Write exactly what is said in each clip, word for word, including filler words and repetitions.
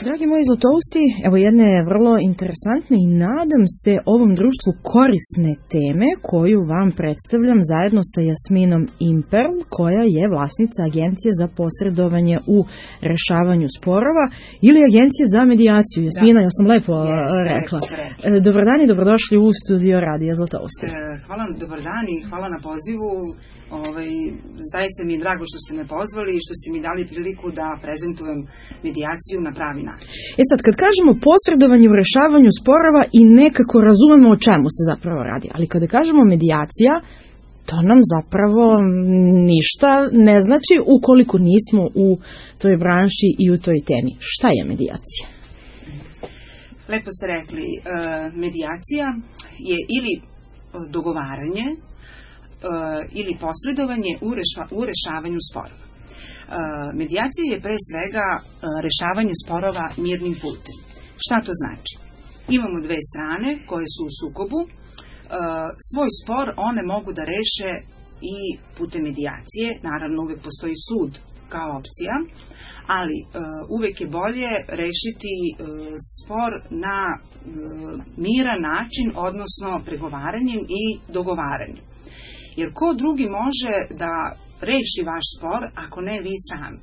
Dragi moji zlatousti, evo jedne vrlo interesantne i nadam se ovom društvu korisne teme koju vam predstavljam zajedno sa Jasminom Imperl, koja je vlasnica Agencije za posredovanje u rešavanju sporova ili Agencije za medijaciju. Jasmina, da. Ja sam lepo yes, rekla. Yes, dobar dan i dobrodošli u studio Radija Zlatousti. Hvala, dobar dan i hvala na pozivu. Ovaj, zaista mi je drago što ste me pozvali i što ste mi dali priliku da prezentujem medijaciju na pravi način. E sad, kad kažemo posredovanje u rešavanju sporova i nekako razumemo o čemu se zapravo radi, ali kada kažemo medijacija, to nam zapravo ništa ne znači ukoliko nismo u toj branši i u toj temi. Šta je medijacija? Lepo ste rekli, medijacija je ili dogovaranje ili posredovanje u, reša, u rešavanju sporova. Medijacija je pre svega rešavanje sporova mirnim putem. Šta to znači? Imamo dve strane koje su u sukobu. Svoj spor one mogu da reše i putem medijacije. Naravno, uvek postoji sud kao opcija, ali uvek je bolje rešiti spor na miran način, odnosno pregovaranjem i dogovaranjem. Jer ko drugi može da reši vaš spor ako ne vi sami?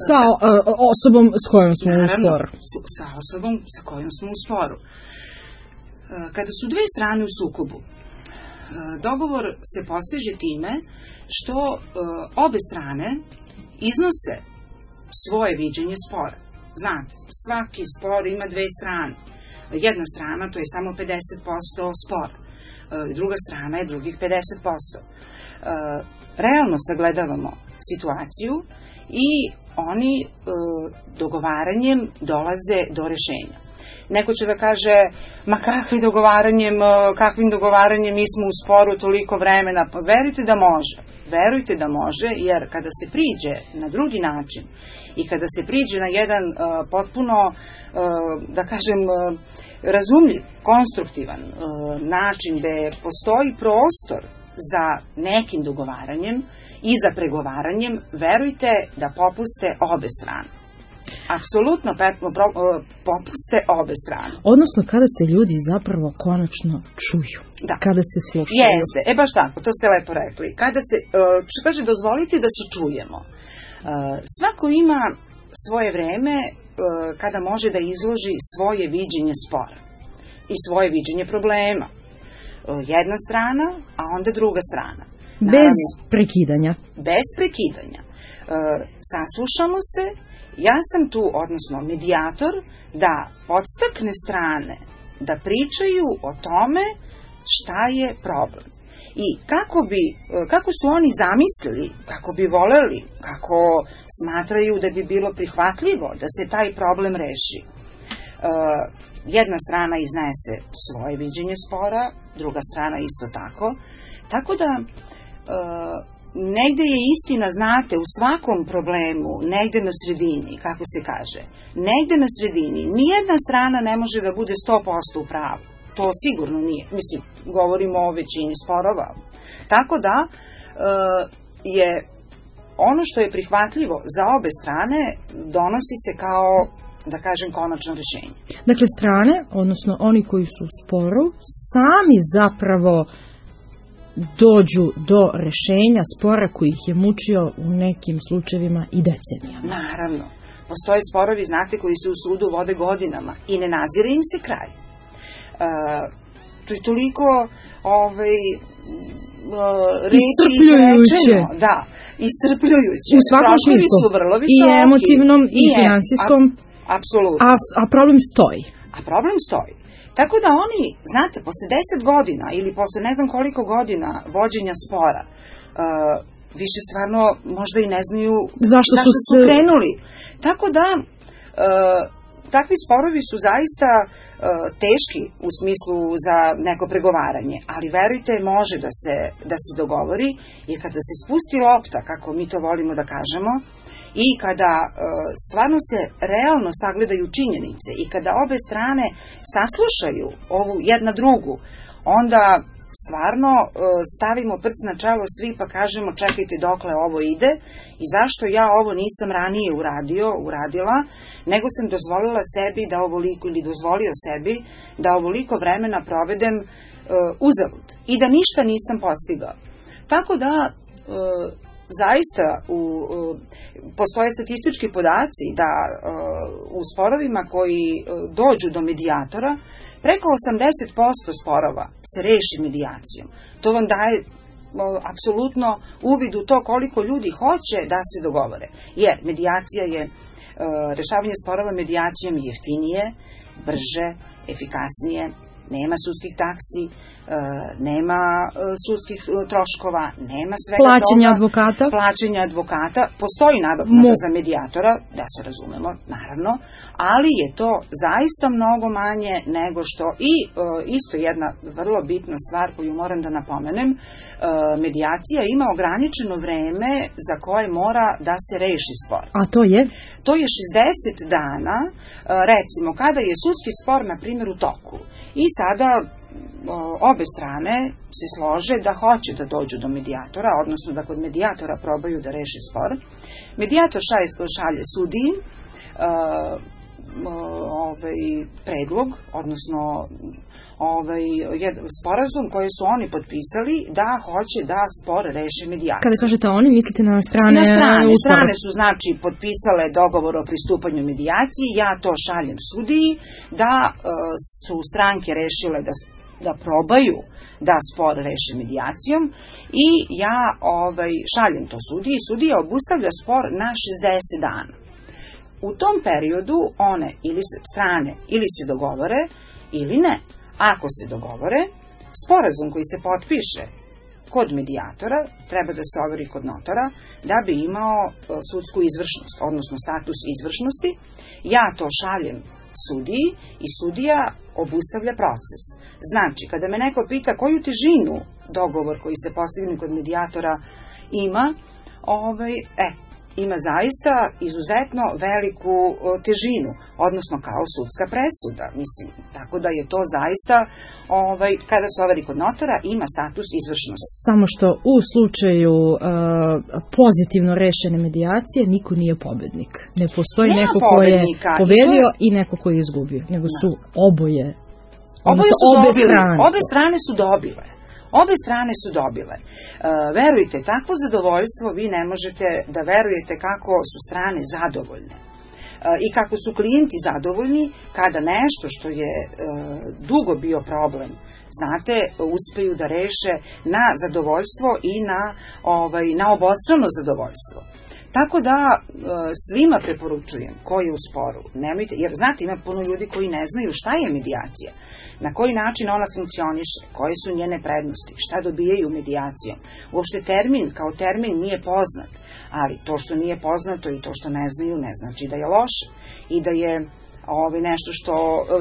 Sa uh, osobom s kojom smo Naravno, u sporu. Sa osobom sa kojom smo u sporu. Kada su dve strane u sukobu, dogovor se postiže time što obe strane iznose svoje viđenje spora. Znate, svaki spor ima dve strane. Jedna strana, to je samo pedeset posto spora. Druga strana je drugih pedeset posto. Realno sagledavamo situaciju i oni dogovaranjem dolaze do rešenja. Neko će da kaže, ma kakvim dogovaranjem, kakvim dogovaranjem mi smo u sporu toliko vremena. Pa verujte da može. Verujte da može, jer kada se priđe na drugi način i kada se priđe na jedan uh, potpuno, uh, da kažem, uh, razumljiv, konstruktivan uh, način gde postoji prostor za nekim dogovaranjem i za pregovaranjem, verujte da popuste obe strane. Apsolutno popuste obe strane. Odnosno kada se ljudi zapravo konačno čuju. Da. Kada se slušaju. Jeste, e baš tako, to ste lepo rekli. Kada se, što kaže, dozvolite da se čujemo. Svako ima svoje vreme kada može da izloži svoje viđenje spora i svoje viđenje problema. Jedna strana, a onda druga strana. Bez Naravno, prekidanja. Bez prekidanja. Saslušamo se. Ja sam tu, odnosno medijator, da podstakne strane da pričaju o tome šta je problem. I kako bi, kako su oni zamislili, kako bi voleli, kako smatraju da bi bilo prihvatljivo da se taj problem reši. Jedna strana iznese svoje viđenje spora, druga strana isto tako. Tako da negde je istina, znate, u svakom problemu, negde na sredini, kako se kaže, negde na sredini, nijedna strana ne može da bude sto posto u pravu. To sigurno nije. Mislim, govorimo o većini sporova. Tako da e, je ono što je prihvatljivo za obe strane donosi se kao, da kažem, konačno rešenje. Dakle, strane, odnosno oni koji su u sporu, sami zapravo dođu do rešenja spora koji ih je mučio u nekim slučajevima i decenijama. Naravno. Postoje sporovi, znate, koji se u sudu vode godinama i ne nazire im se kraj. E, to je toliko ovaj, reći izrečeno. Da, iscrpljujuće. U svakom smislu. Su vrlo visoki. I emotivnom i, i finansijskom. Apsolutno. A, a problem stoji. A problem stoji. Tako da oni, znate, posle deset godina ili posle ne znam koliko godina vođenja spora, uh, više stvarno možda i ne znaju zašto, zašto su, su krenuli. Tako da, uh, takvi sporovi su zaista uh, teški u smislu za neko pregovaranje, ali verujte, može da se, da se dogovori, jer kada se spusti lopta, kako mi to volimo da kažemo, i kada e, stvarno se realno sagledaju činjenice i kada obe strane saslušaju ovu jedna drugu, onda stvarno stavimo prst na čelo svi pa kažemo čekajte dokle ovo ide i zašto ja ovo nisam ranije uradio, uradila, nego sam dozvolila sebi da ovoliko, ili dozvolio sebi da ovoliko vremena provedem uh, uzalud i da ništa nisam postigao. Tako da uh, zaista u, uh, postoje statistički podaci da uh, u sporovima koji uh, dođu do medijatora preko osamdeset posto sporova se reši medijacijom. To vam daje apsolutno uvid u to koliko ljudi hoće da se dogovore. Jer medijacija je, rešavanje sporova medijacijom je jeftinije, brže, efikasnije, nema sudskih taksi, nema sudskih troškova, nema svega toga. Plaćenja advokata? Plaćenja advokata. Postoji nadoknada za medijatora, da se razumemo, naravno, ali je to zaista mnogo manje nego što, i isto jedna vrlo bitna stvar koju moram da napomenem, medijacija ima ograničeno vreme za koje mora da se reši spor. A to je? To je šezdeset dana, recimo, kada je sudski spor, na primjer, u toku. I sada obe strane se slože da hoće da dođu do medijatora, odnosno da kod medijatora probaju da reše spor. Medijator šalje, šalje sudiji uh, ovaj, predlog, odnosno ovaj, sporazum koji su oni potpisali da hoće da spor reše medijacijom. Kada kažete oni, mislite na strane? Na strane. Strane su, znači, potpisale dogovor o pristupanju medijaciji, ja to šaljem sudiji, da uh, su stranke rešile da, da probaju da spor reše medijacijom i ja ovaj, šaljem to sudiji i sudija obustavlja spor na šezdeset dana. U tom periodu one ili strane ili se dogovore ili ne. Ako se dogovore, sporazum koji se potpiše kod medijatora treba da se overi kod notara da bi imao sudsku izvršnost, odnosno status izvršnosti. Ja to šaljem sudiji i sudija obustavlja proces. Znači, kada me neko pita koju težinu dogovor koji se postigne kod medijatora ima, ovaj, e, ima zaista izuzetno veliku o, težinu, odnosno kao sudska presuda, mislim, tako da je to zaista, ovaj, kada se overi kod notora, ima status izvršnosti. Samo što u slučaju uh, pozitivno rešene medijacije niko nije pobednik. Ne postoji Nema neko ko je pobedio i, to... i neko ko je izgubio, nego su oboje, oboje su obe dobili, strane. Obe strane su dobile. Obe strane su dobile. Uh, verujte, takvo zadovoljstvo vi ne možete da verujete kako su strane zadovoljne. Uh, I kako su klijenti zadovoljni kada nešto što je uh, dugo bio problem, znate, uspeju da reše na zadovoljstvo i na, ovaj, na obostrano zadovoljstvo. Tako da uh, svima preporučujem koji je u sporu, nemojte, jer znate, ima puno ljudi koji ne znaju šta je medijacija, na koji način ona funkcioniše, koje su njene prednosti, šta dobijaju medijacijom. Uopšte termin kao termin nije poznat, ali to što nije poznato i to što ne znaju ne znači da je loše i da je ovaj, nešto što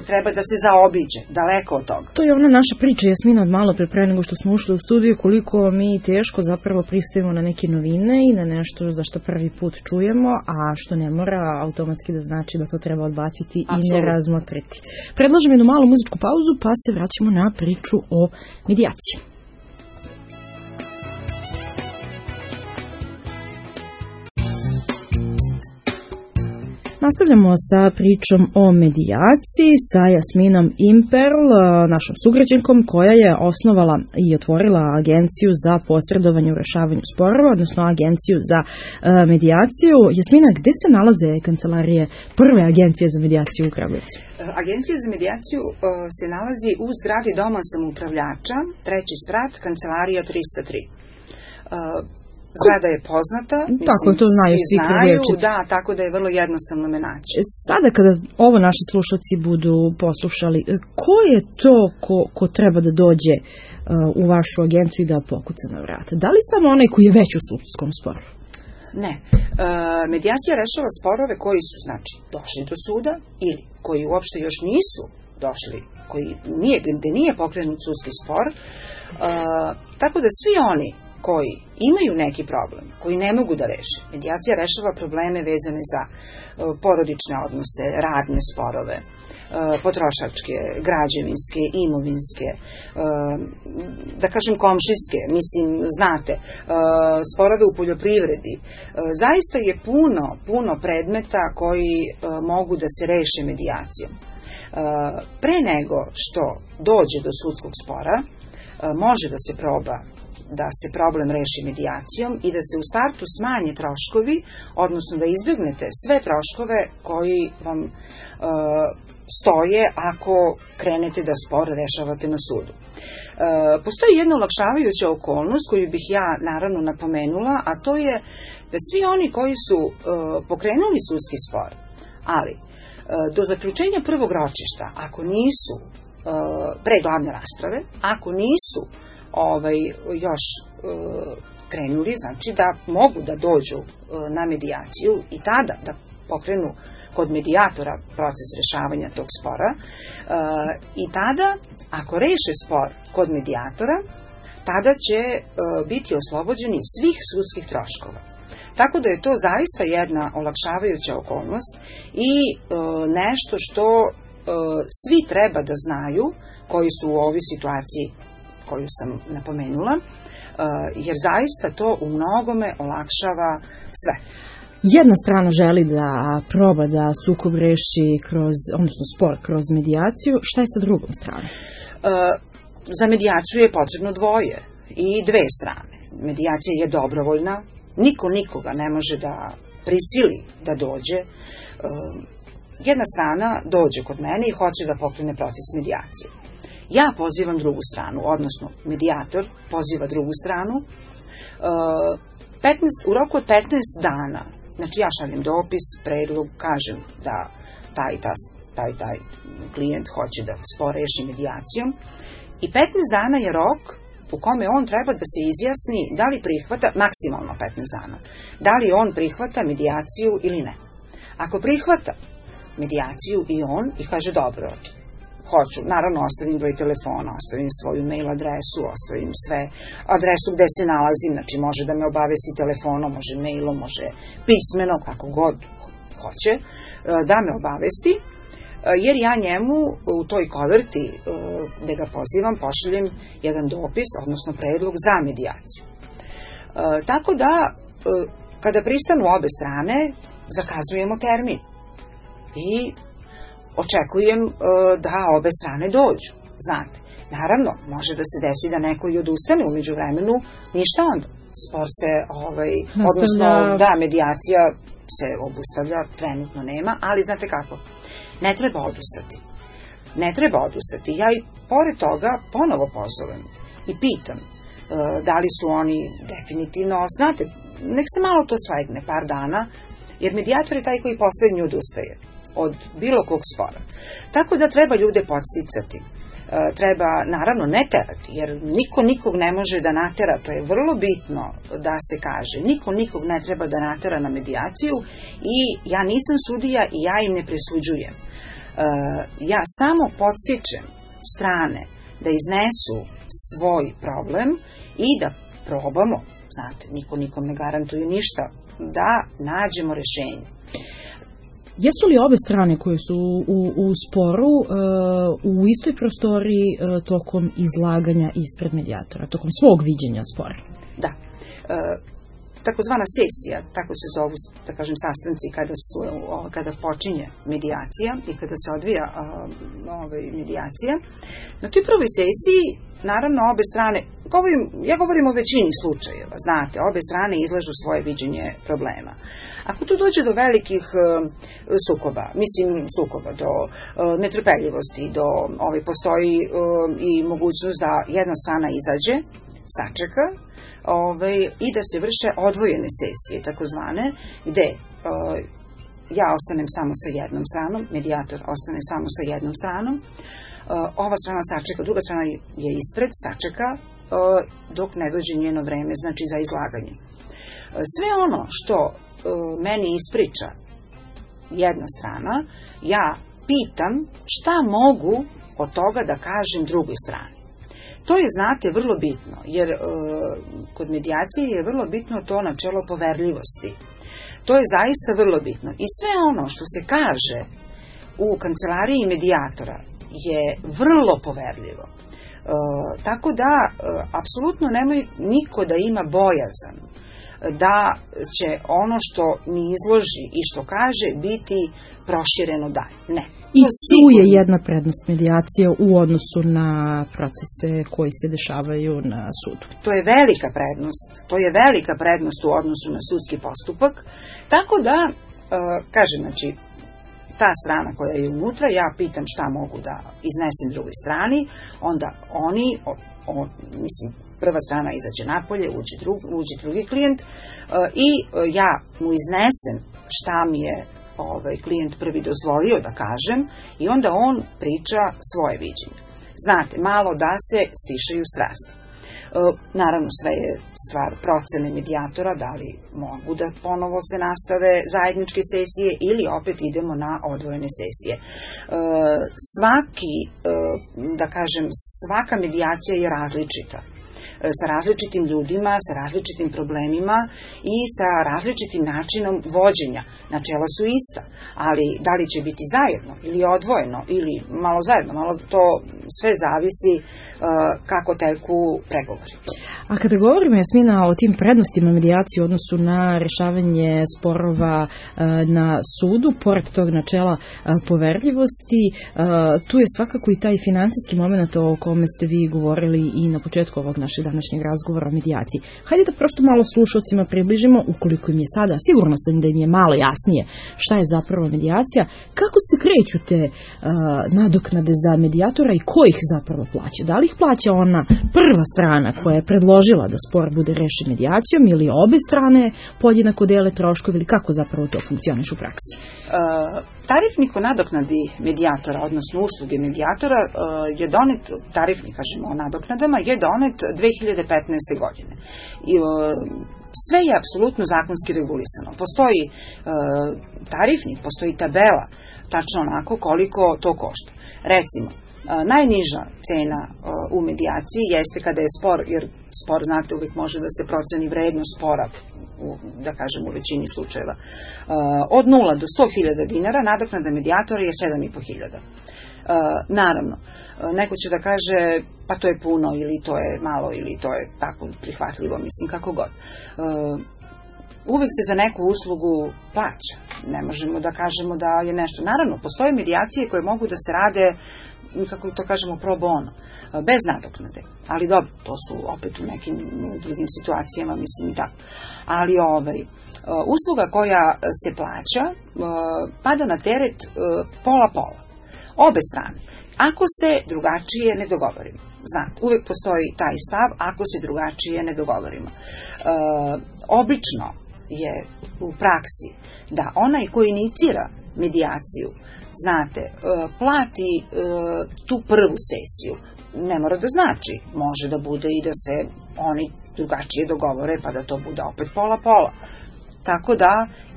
treba da se zaobiđe, daleko od toga. To je ona naša priča, Jasmina, od malo pre, pre nego što smo ušli u studiju, koliko mi teško zapravo pristajemo na neke novine i na nešto za što prvi put čujemo, a što ne mora automatski da znači da to treba odbaciti Absolut. I ne razmotriti. Predlažem jednu malu muzičku pauzu, pa se vraćamo na priču o medijaciji. Nastavljamo sa pričom o medijaciji sa Jasminom Imperl, našom sugrađankom koja je osnovala i otvorila agenciju za posredovanje u rešavanju sporova, odnosno agenciju za uh, medijaciju. Jasmina, gde se nalaze kancelarije prve agencije za medijaciju u Kragujevcu? Agencija za medijaciju uh, se nalazi u zgradi Doma samoupravljača, treći sprat, kancelarija trista tri. Uh, Zgrada je poznata, mislim, tako to znaju svi Kragujevčani. Da, tako da je vrlo jednostavno me naći. Sada kada ovo naši slušalci budu poslušali, ko je to ko, ko treba da dođe uh, u vašu agenciju i da pokuca na vrata? Da li samo onaj koji je već u sudskom sporu? Ne. Uh, medijacija rešava sporove koji su, znači, došli do suda ili koji uopšte još nisu došli, koji nije, gde nije pokrenut sudski spor. Uh, tako da svi oni koji imaju neki problem, koji ne mogu da reše. Medijacija rešava probleme vezane za porodične odnose, radne sporove, potrošačke, građevinske, imovinske, da kažem komšijske, mislim, znate, sporove u poljoprivredi. Zaista je puno, puno predmeta koji mogu da se reše medijacijom. Pre nego što dođe do sudskog spora, može da se proba da se problem reši medijacijom i da se u startu smanje troškovi, odnosno da izbjegnete sve troškove koji vam e, stoje ako krenete da spor rešavate na sudu. E, postoji jedna olakšavajuća okolnost koju bih ja naravno napomenula, a to je da svi oni koji su e, pokrenuli sudski spor, ali e, do zaključenja prvog ročišta, ako nisu e, pre glavne rasprave, ako nisu ovaj, još e, krenuli, znači da mogu da dođu e, na medijaciju i tada da pokrenu kod medijatora proces rešavanja tog spora e, i tada, ako reše spor kod medijatora, tada će e, biti oslobođeni svih sudskih troškova. Tako da je to zaista jedna olakšavajuća okolnost i e, nešto što e, svi treba da znaju koji su u ovoj situaciji koju sam napomenula, jer zaista to u mnogome olakšava sve. Jedna strana želi da proba da sukob reši kroz, odnosno spor kroz medijaciju, šta je sa drugom stranom? Za medijaciju je potrebno dvoje i dve strane. Medijacija je dobrovoljna, niko nikoga ne može da prisili da dođe. Jedna strana dođe kod mene i hoće da pokrene proces medijacije. Ja pozivam drugu stranu, odnosno medijator poziva drugu stranu. petnaest, u roku od petnaest dana, znači ja šaljem dopis, predlog, kažem da taj, taj, taj, taj klijent hoće da spor reši medijacijom i petnaest dana je rok u kome on treba da se izjasni da li prihvata, maksimalno petnaest dana, da li on prihvata medijaciju ili ne. Ako prihvata medijaciju i on i kaže dobro, hoću, naravno ostavim broj telefona, ostavim svoju mail adresu, ostavim sve adresu gde se nalazim, znači može da me obavesti telefonom, može mailom, može pismeno, kako god hoće, da me obavesti, jer ja njemu u toj koverti gde ga pozivam pošaljem jedan dopis, odnosno predlog za medijaciju. Tako da, kada pristanu obe strane, zakazujemo termin i očekujem uh, da obe strane dođu, znate. Naravno, može da se desi da neko i odustane umeđu vremenu, ništa onda. Spor se, ovaj, odnosno, da, medijacija se obustavlja, trenutno nema, ali znate kako, ne treba odustati. Ne treba odustati. Ja i pored toga ponovo pozovem i pitam uh, da li su oni definitivno, znate, nek se malo to slegne, par dana, jer medijator je taj koji poslednji odustaje od bilo kog spora. Tako da treba ljude podsticati. E, treba, naravno, ne terati, jer niko nikog ne može da natera, to je vrlo bitno da se kaže. Niko nikog ne treba da natera na medijaciju i ja nisam sudija i ja im ne presuđujem. E, ja samo podstičem strane da iznesu svoj problem i da probamo, znate, niko nikom ne garantuje ništa, da nađemo rešenje. Jesu li obe strane koje su u, u sporu uh, u istoj prostoriji uh, tokom izlaganja ispred medijatora, tokom svog viđenja spora? Da. E, takozvana sesija, tako se zovu, da kažem, sastanci kada, su, o, kada počinje medijacija i kada se odvija o, ovaj, medijacija. Na toj prvoj sesiji, naravno, obe strane, govorim, ja govorim o većini slučajeva, znate, obe strane izlažu svoje viđenje problema. Ako tu dođe do velikih uh, sukoba, mislim sukoba, do uh, netrpeljivosti, do, ovaj, postoji uh, i mogućnost da jedna strana izađe, sačeka, ovaj, i da se vrše odvojene sesije, takozvane, gde uh, ja ostanem samo sa jednom stranom, medijator ostane samo sa jednom stranom, uh, ova strana sačeka, druga strana je ispred, sačeka, uh, dok ne dođe njeno vreme, znači za izlaganje. Uh, sve ono što meni ispriča jedna strana, ja pitam šta mogu od toga da kažem drugoj strani. To je, znate, vrlo bitno, jer e, kod medijacije je vrlo bitno to načelo poverljivosti. To je zaista vrlo bitno. I sve ono što se kaže u kancelariji medijatora je vrlo poverljivo. E, tako da, e, apsolutno nemoj niko da ima bojazan da će ono što mi izloži i što kaže biti prošireno dalje. Ne. I tu je jedna prednost medijacije u odnosu na procese koji se dešavaju na sudu. To je velika prednost. To je velika prednost u odnosu na sudski postupak. Tako da, e, kažem, znači, ta strana koja je unutra, ja pitam šta mogu da iznesem drugoj strani, onda oni, o, o, mislim, prva strana izađe napolje, uđe, drug, uđe drugi klijent e, i e, ja mu iznesem šta mi je ovaj klijent prvi dozvolio da kažem i onda on priča svoje viđenje. Znate, malo da se stišaju strasti. E, naravno, sve je stvar procene medijatora, da li mogu da ponovo se nastave zajedničke sesije ili opet idemo na odvojene sesije. E, svaki, e, da kažem, svaka medijacija je različita. Sa različitim ljudima, sa različitim problemima i sa različitim načinom vođenja. Načela su ista, ali da li će biti zajedno ili odvojeno ili malo zajedno, malo to sve zavisi uh, kako teku pregovori. A kada govorimo, Jasmina, o tim prednostima medijacije u odnosu na rešavanje sporova uh, na sudu, pored tog načela uh, poverljivosti, uh, tu je svakako i taj finansijski moment o kome ste vi govorili i na početku ovog našeg današnjeg razgovora o medijaciji. Hajde da prosto malo slušalcima približimo, ukoliko im je sada, sigurno sam da im je malo jasnije šta je zapravo medijacija, kako se kreću te uh, nadoknade za medijatora i ko ih zapravo plaća? Da li ih plaća ona prva strana koja je predložila da spor bude rešen medijacijom ili obe strane podjednako dele troškovi ili kako zapravo to funkcioniše u praksi? Uh, tarifnik o nadoknadi medijatora, odnosno usluge medijatora, uh, je donet, tarifnik, kažemo o nadoknadama, je donet dve hiljade petnaeste. godine. I, uh, sve je apsolutno zakonski regulisano. Postoji uh, tarifnik, postoji tabela, tačno onako koliko to košta. Recimo, uh, najniža cena uh, u medijaciji jeste kada je spor, jer spor, znate, uvijek može da se proceni vrednost spora, u, da kažem, u većini slučajeva. Uh, od nula do sto hiljada dinara nadoknada medijatora je sedam i po hiljada. Uh, naravno, neko će da kaže pa to je puno ili to je malo ili to je tako prihvatljivo, mislim, kako god. Uh, uvijek se za neku uslugu plaća. Ne možemo da kažemo da je nešto. Naravno, postoje medijacije koje mogu da se rade, kako to kažemo, pro bono, bez nadoknade. Ali dobro, to su opet u nekim drugim situacijama, mislim, i tako. Ali ovaj, usluga koja se plaća pada na teret pola-pola. Obe strane. Ako se drugačije ne dogovorimo. Znate, uvijek postoji taj stav ako se drugačije ne dogovorimo. E, obično je u praksi da onaj koji inicira medijaciju, znate, e, plati e, tu prvu sesiju. Ne mora da znači. Može da bude i da se oni drugačije dogovore pa da to bude opet pola-pola. Tako da,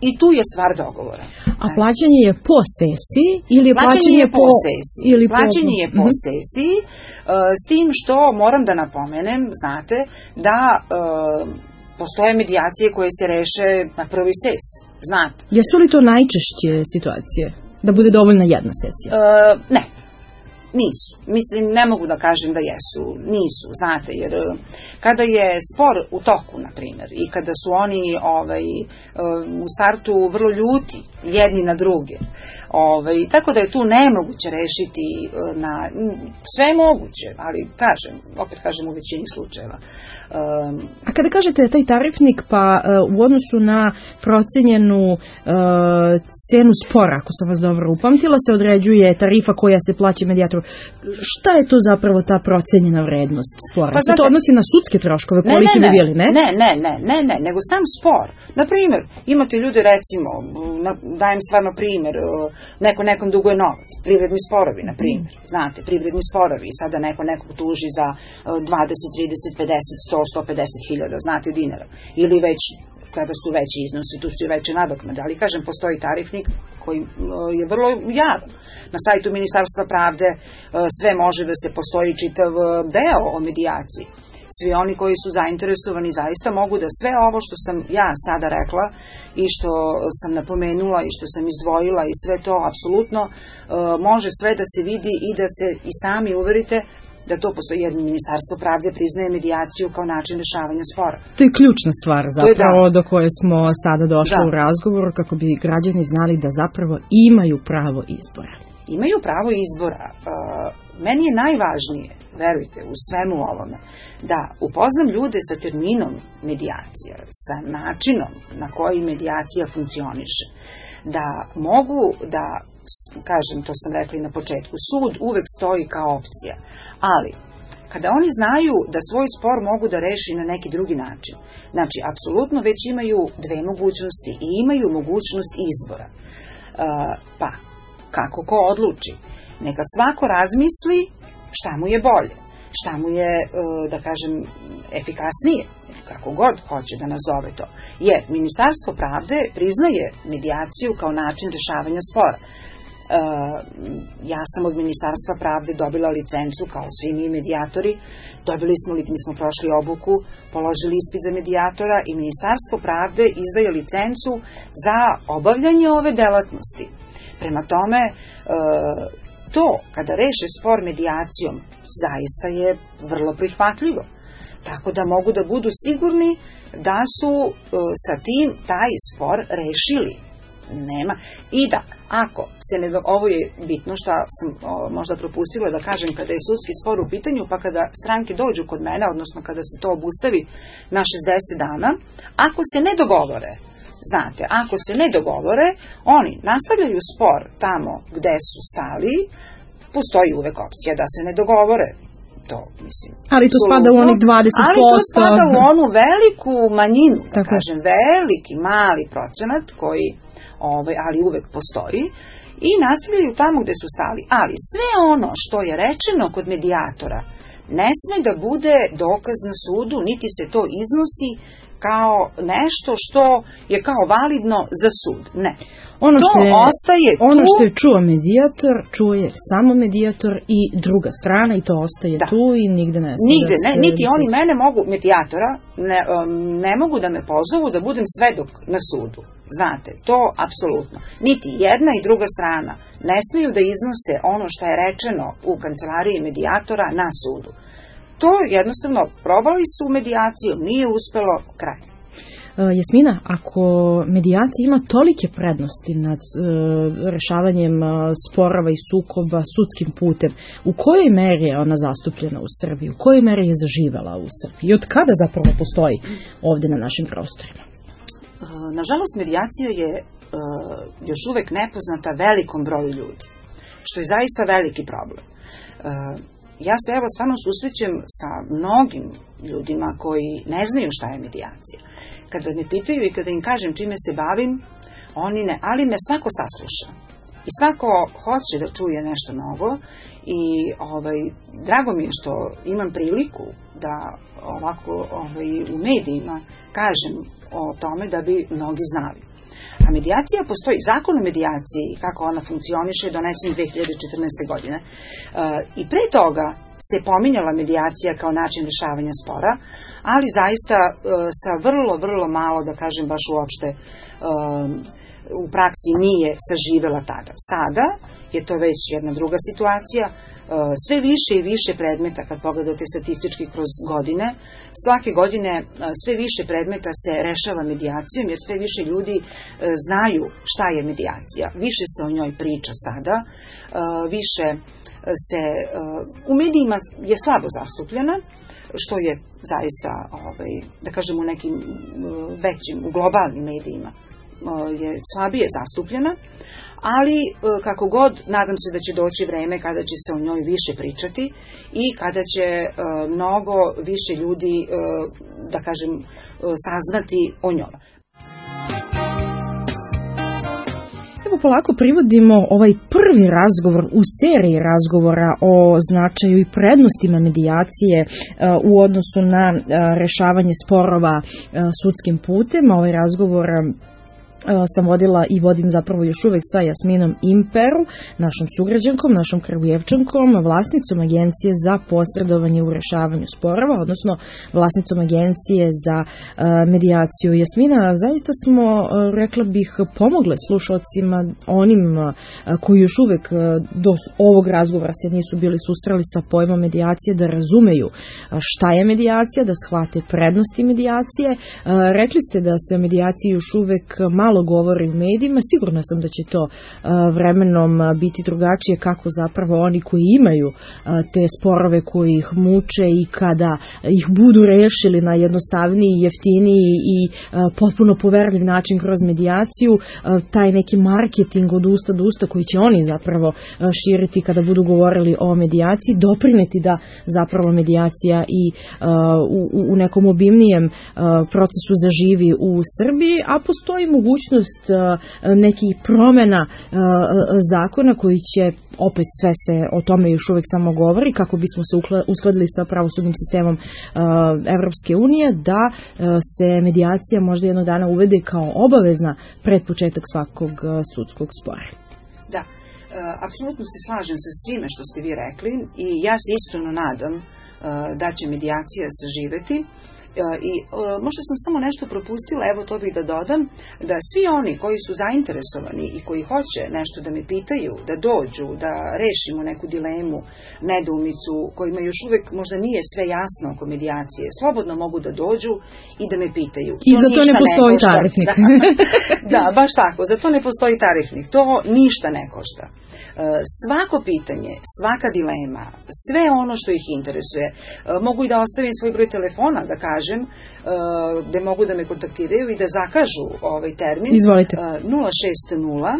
i tu je stvar dogovora. A plaćanje je po sesiji ili plaćanje, plaćanje je po, po sesiji? Ili plaćanje po... je po mm-hmm. sesiji, uh, s tim što moram da napomenem, znate, da uh, postoje medijacije koje se reše na prvoj sesiji, znate. Jesu li to najčešće situacije? Da bude dovoljna jedna sesija? Uh, ne. Nisu. Mislim, ne mogu da kažem da jesu. Nisu, znate, jer kada je spor u toku, na primjer, i kada su oni ovaj, u startu vrlo ljuti jedni na druge, ovaj, tako da je tu nemoguće rešiti na, sve je moguće, ali kažem, opet kažem u većini slučajeva. Um, A kada kažete taj tarifnik, pa uh, u odnosu na procenjenu uh, cenu spora, ako sam vas dobro upamtila, se određuje tarifa koja se plaća medijatoru. Šta je to zapravo ta procenjena vrednost spora? Pa se to odnosi na sudske troškove, koliki bi bili, ne? Ne, ne, ne, ne, ne, nego sam spor. Na primjer, imate ljude, recimo, na, dajem stvarno primjer, neko nekom duguje novac, privredni sporovi, na primjer, mm. znate, privredni sporovi, i sada neko nekog tuži za dvadeset, trideset, pedeset, sto, sto pedeset hiljada, znate, dinara, ili već kada su veći iznosi, tu su i veće nadoknade, ali kažem, postoji tarifnik koji je vrlo javan. na sajtu Ministarstva pravde sve može da se postoji čitav deo o medijaciji. Svi oni koji su zainteresovani zaista mogu da sve ovo što sam ja sada rekla i što sam napomenula i što sam izdvojila i sve to apsolutno može sve da se vidi i da se i sami uverite da to postoji, jer Ministarstvo pravde priznaje medijaciju kao način rešavanja spora. To je ključna stvar zapravo da. do koje smo sada došli da. u razgovoru, kako bi građani znali da zapravo imaju pravo izbora. Imaju pravo izbora. Meni je najvažnije, verujte, u svemu ovome, da upoznam ljude sa terminom medijacija, sa načinom na koji medijacija funkcioniše, da mogu da, kažem, to sam rekla i na početku, sud uvek stoji kao opcija, ali kada oni znaju da svoj spor mogu da reši na neki drugi način, znači, apsolutno već imaju dve mogućnosti i imaju mogućnost izbora. Pa, kako ko odluči? Neka svako razmisli šta mu je bolje, šta mu je, da kažem, efikasnije, kako god hoće da nazove to. Jer Ministarstvo pravde priznaje medijaciju kao način rešavanja spora. Ja sam od Ministarstva pravde dobila licencu, kao svi mi medijatori, dobili smo, mi smo prošli obuku, položili ispit za medijatora i Ministarstvo pravde izdaje licencu za obavljanje ove delatnosti. Prema tome, to kada reše spor medijacijom zaista je vrlo prihvatljivo. Tako da mogu da budu sigurni da su sa tim taj spor rešili. Nema. I da, ako se ne, ovo je bitno što sam o, možda propustila da kažem kada je sudski spor u pitanju, pa kada stranke dođu kod mene, odnosno kada se to obustavi na šezdeset dana, ako se ne dogovore, znate, ako se ne dogovore, oni nastavljaju spor tamo gde su stali, postoji uvek opcija da se ne dogovore. To, mislim, ali to spada u onih dvadeset posto. Ali to spada u onu veliku manjinu, da tako kažem, veliki, mali procenat koji, ovaj, ali uvek postoji, i nastavljaju tamo gde su stali. Ali sve ono što je rečeno kod medijatora ne sme da bude dokaz na sudu, niti se to iznosi kao nešto što je kao validno za sud. Ne. Ono to što je, ostaje tu. Ono što je čuo medijator, čuje samo medijator i druga strana i to ostaje da. tu i nigde ne sme. Nigde, da ne, se, niti da oni se... mene mogu, medijatora, ne, ne mogu da me pozovu da budem svedok na sudu. Znate, to apsolutno. Niti jedna i druga strana ne smeju da iznose ono što je rečeno u kancelariji medijatora na sudu. To jednostavno probali su medijaciju, nije uspelo, kraj. Jasmina, ako medijacija ima tolike prednosti nad e, rešavanjem e, sporova i sukoba sudskim putem, u kojoj meri je ona zastupljena u Srbiji, u kojoj meri je zaživela u Srbiji i od kada zapravo postoji ovde na našim prostorima? Nažalost, medijacija je e, još uvek nepoznata velikom broju ljudi, što je zaista veliki problem. E, ja se evo stvarno susrećem sa mnogim ljudima koji ne znaju šta je medijacija. Kada me pitaju i kada im kažem čime se bavim, oni ne, ali me svako sasluša. I svako hoće da čuje nešto novo i ovaj, drago mi je što imam priliku da ovako ovaj, u medijima kažem o tome da bi mnogi znali. A medijacija postoji, zakon o medijaciji, kako ona funkcioniše, donesen dve hiljade četrnaeste. godine. E, I pre toga se pominjala medijacija kao način rešavanja spora, ali zaista e, sa vrlo, vrlo malo, da kažem baš uopšte, e, u praksi nije saživela tada. Sada je to već jedna druga situacija, sve više i više predmeta, kad pogledate statistički kroz godine, svake godine sve više predmeta se rešava medijacijom, jer sve više ljudi znaju šta je medijacija. Više se o njoj priča sada, više se, u medijima je slabo zastupljena, što je zaista, ovaj, da kažem, u nekim većim, u globalnim medijima je slabije zastupljena, ali kako god, nadam se da će doći vreme kada će se o njoj više pričati i kada će mnogo više ljudi, da kažem, saznati o njoj. Evo polako privodimo ovaj prvi razgovor u seriji razgovora o značaju i prednostima medijacije u odnosu na rešavanje sporova sudskim putem. Ovaj razgovor sam vodila i vodim zapravo još uvek sa Jasminom Imperu, našom sugrađankom, našom Kragujevčankom, vlasnicom agencije za posredovanje u rešavanju sporova, odnosno vlasnicom agencije za uh, medijaciju. Jasmina, zaista smo, uh, rekla bih, pomogle slušalcima, onim uh, koji još uvek uh, do ovog razgovora se nisu bili susreli sa pojmom medijacije, da razumeju uh, šta je medijacija, da shvate prednosti medijacije. Uh, rekli ste da se o medijaciji još uvek malo govori u medijima, sigurna sam da će to uh, vremenom biti drugačije, kako zapravo oni koji imaju uh, te sporove koji ih muče i kada ih budu rešili na jednostavniji, jeftiniji i uh, potpuno poverljiv način kroz medijaciju, uh, taj neki marketing od usta do usta koji će oni zapravo uh, širiti kada budu govorili o medijaciji, doprineti da zapravo medijacija i uh, u, u nekom obimnijem uh, procesu zaživi u Srbiji, a postoji mogućnost nekih promena zakona koji će, opet sve se o tome još uvek samo govori, kako bismo se uskladili sa pravosudnim sistemom Evropske unije, da se medijacija možda jednog dana uvede kao obavezna pred početak svakog sudskog spora. Da, apsolutno se slažem sa svime što ste vi rekli i ja se iskreno nadam da će medijacija saživeti. I e, možda sam samo nešto propustila, evo to bih da dodam, da svi oni koji su zainteresovani i koji hoće nešto da me pitaju, da dođu, da rešimo neku dilemu, nedoumicu, kojima još uvek možda nije sve jasno oko medijacije, slobodno mogu da dođu i da me pitaju. I to za to ne postoji ne tarifnik. Da, da, baš tako, za to ne postoji tarifnik, to ništa ne košta. Svako pitanje, svaka dilema, sve ono što ih interesuje, mogu i da ostavim svoj broj telefona, da kažem, gde mogu da me kontaktiraju i da zakažu ovaj termin. Izvolite. nula šest nula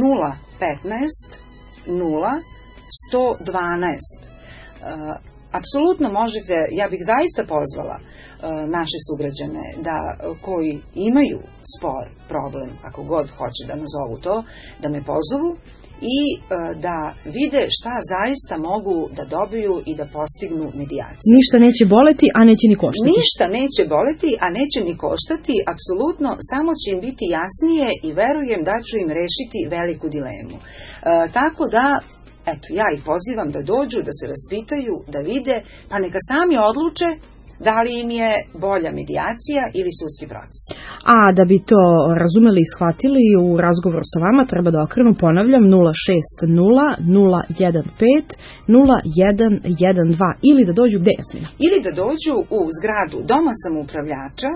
nula petnaest nula sto dvanaest. Apsolutno možete, ja bih zaista pozvala naše sugrađane da, koji imaju spor, problem, kako god hoće da nazovu to, da me pozovu i e, da vide šta zaista mogu da dobiju i da postignu medijaciju. Ništa neće boleti, a neće ni koštati. Ništa neće boleti, a neće ni koštati, apsolutno, samo će im biti jasnije i verujem da ću im rešiti veliku dilemu. E, tako da, eto, ja ih pozivam da dođu, da se raspitaju, da vide, pa neka sami odluče da li im je bolja medijacija ili sudski proces. A da bi to razumeli i shvatili, u razgovoru sa vama treba da okrenu, ponavljam, nula šest nula nula jedan pet nula jedan jedan dva ili da dođu gde, Jasmina? Ili da dođu u zgradu Doma samoupravljača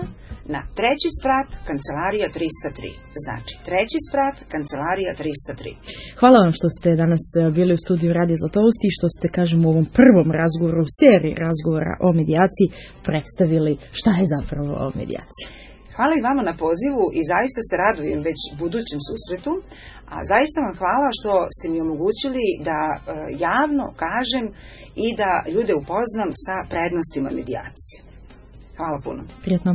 na treći sprat, kancelarija trista tri. Znači, treći sprat, kancelarija trista tri. Hvala vam što ste danas bili u studiju Radija Zlatovosti i što ste, kažem, u ovom prvom razgovoru, u seriji razgovora o medijaciji, predstavili šta je zapravo medijacija. Hvala i vama na pozivu i zaista se radujem već budućem susretu, a zaista vam hvala što ste mi omogućili da e, javno kažem i da ljude upoznam sa prednostima medijacije. Hvala puno. Prijetno.